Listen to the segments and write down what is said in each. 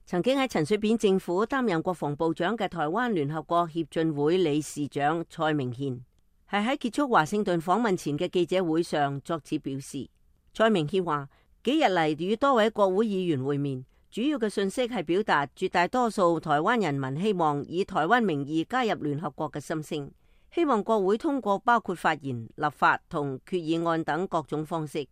曾經喺陳水扁政府擔任國防部長嘅台灣聯合國協進會理事長蔡明憲，係喺結束華盛頓訪問前嘅記者會上作此表示。蔡明憲話：幾日嚟與多位國會議員會面，主要嘅訊息係表達絕大多數台灣人民希望以台灣名義加入聯合國嘅心聲，希望國會通過包括發言、立法同決議案等各種方式，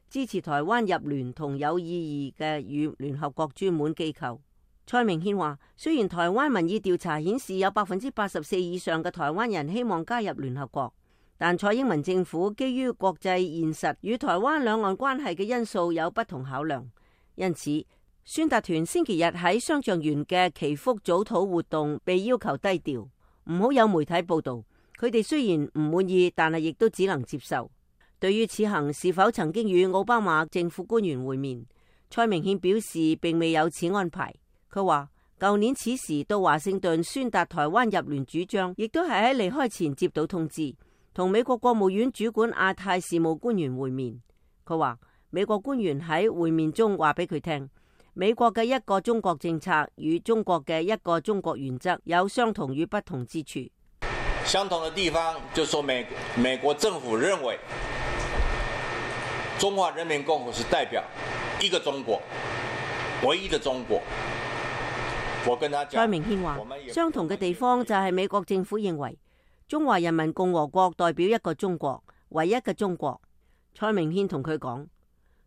支持台灣入聯同有意義嘅與聯合國專門機構。蔡明憲話：雖然台灣民意調查顯示有84%以上嘅台灣人希望加入聯合國，但蔡英文政府基於國際現實與台灣兩岸關係嘅因素有不同考量，因此宣達團星期日喺雙橡園嘅祈福早禱活動被要求低調，唔好有媒體報道。佢哋雖然唔滿意，但係亦都只能接受。對於此行是否曾經與奧巴馬政府官員會面，蔡明憲表示並未有此安排。佢話：舊年此時到華盛頓宣達台灣入聯主張，亦都係喺離開前接到通知，同美國國務院主管亞太事務官員會面。佢話美國官員喺會面中話俾佢聽，美國嘅一個中國政策與中國嘅一個中國原則有相同與不同之處。相同的地方就說美國政府認為中華人民共和國是代表一個中國，唯一的中國。蔡明憲話：相同嘅地方就係美國政府認為中華人民共和國代表一個中國，唯一嘅中國。蔡明憲同佢講，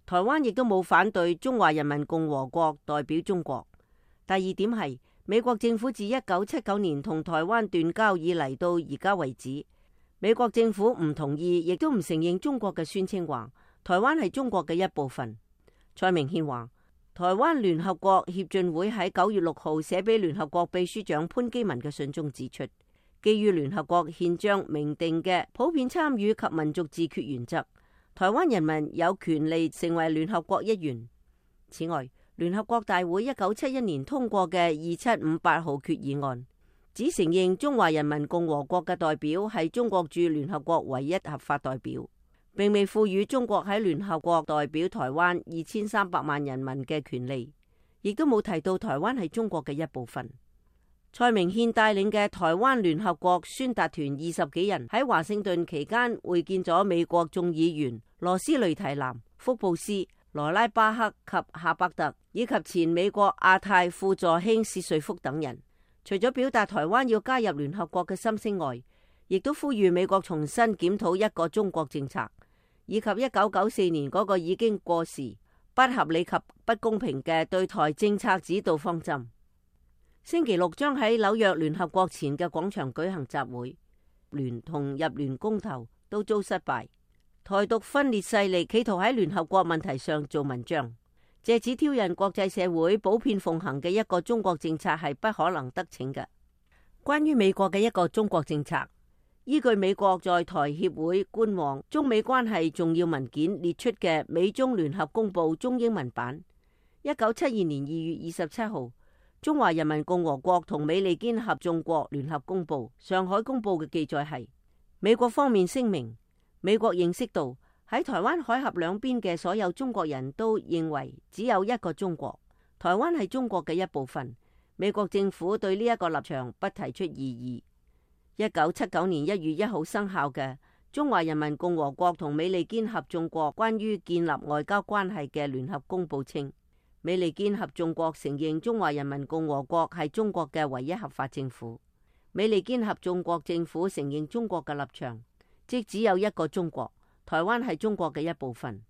台灣亦都冇反對中華人民共和國代表中國。第二點係美國政府自1979年同台灣斷交以嚟到而家為止，美國政府唔同意，亦都唔承認中國嘅宣稱話台灣係中國嘅一部分。蔡明憲話：台灣聯合國協進會喺9月6號寫俾聯合國秘書長潘基文嘅信中指出，基於聯合國憲章明定嘅普遍參與及民族自決原則，台灣人民有權利成為聯合國一員。此外，聯合國大會1971年通過嘅2758號決議案，只承認中華人民共和國嘅代表係中國駐聯合國唯一合法代表，並未賦予中國喺聯合國代表台灣2300萬人民嘅權利，亦都冇提到台灣係中國嘅一部分。蔡明憲帶領嘅台灣聯合國宣達團20幾人喺華盛頓期間會見咗美國眾議員羅斯雷提南、福布斯、羅拉巴克及夏伯特，以及前美國亞太副助卿薛瑞福等人。除咗表達台灣要加入聯合國嘅心聲外，亦都呼籲美國重新檢討一個中國政策，以及1994年嗰個已經過時、不合理及不公平嘅對台政策指導方針。星期六將喺紐約聯合國前嘅廣場舉行集會，聯同入聯公投都遭失敗。台獨分裂勢力企圖喺聯合國問題上做文章，借此挑釁國際社會普遍奉行嘅一個中國政策係不可能得逞嘅。關於美國嘅一個中國政策，依據美國在台協會官網中美關係重要文件列出嘅美中聯合公報中英文版，1972年2月27號中華人民共和國同美利堅合眾國聯合公報上海公報嘅記載係，美國方面聲明，美國認識到喺台灣海峽兩邊嘅所有中國人都認為只有一個中國，台灣係中國嘅一部分。美國政府對呢一個立場不提出異議。1979年1月1號生效嘅中華人民共和國同美利堅合眾國關於建立外交關係嘅聯合公報稱，美利堅合眾國承認中華人民共和國係中國嘅唯一合法政府。美利堅合眾國政府承認中國嘅立場，即只有一個中國，台灣係中國嘅一部分。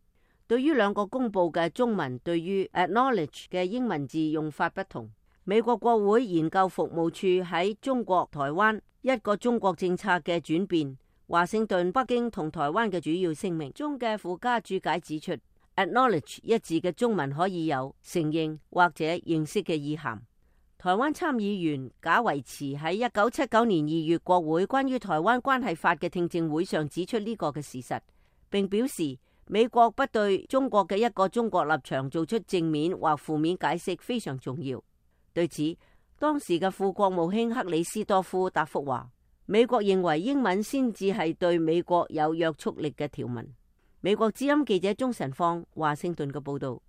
對於兩個公報嘅中文對於 acknowledge 嘅英文字用法不同，美國國會研究服務處喺中國台灣一個中國政策嘅轉變、華盛頓、北京同台灣嘅主要聲明中嘅附加注解指出， acknowledge 一字嘅中文可以有承認或者認識嘅意涵。台灣參議員賈維慈喺1979年2月國會關於台灣關係法嘅聽證會上指出呢個嘅事實，並表示美國不對中國嘅一個中國立場做出正面或負面解釋非常重要。對此，當時嘅副國務卿克里斯多夫答覆話，美國認為英文先至係對美國有約束力嘅條文。美國之音記者鍾晨芳華盛頓嘅報道。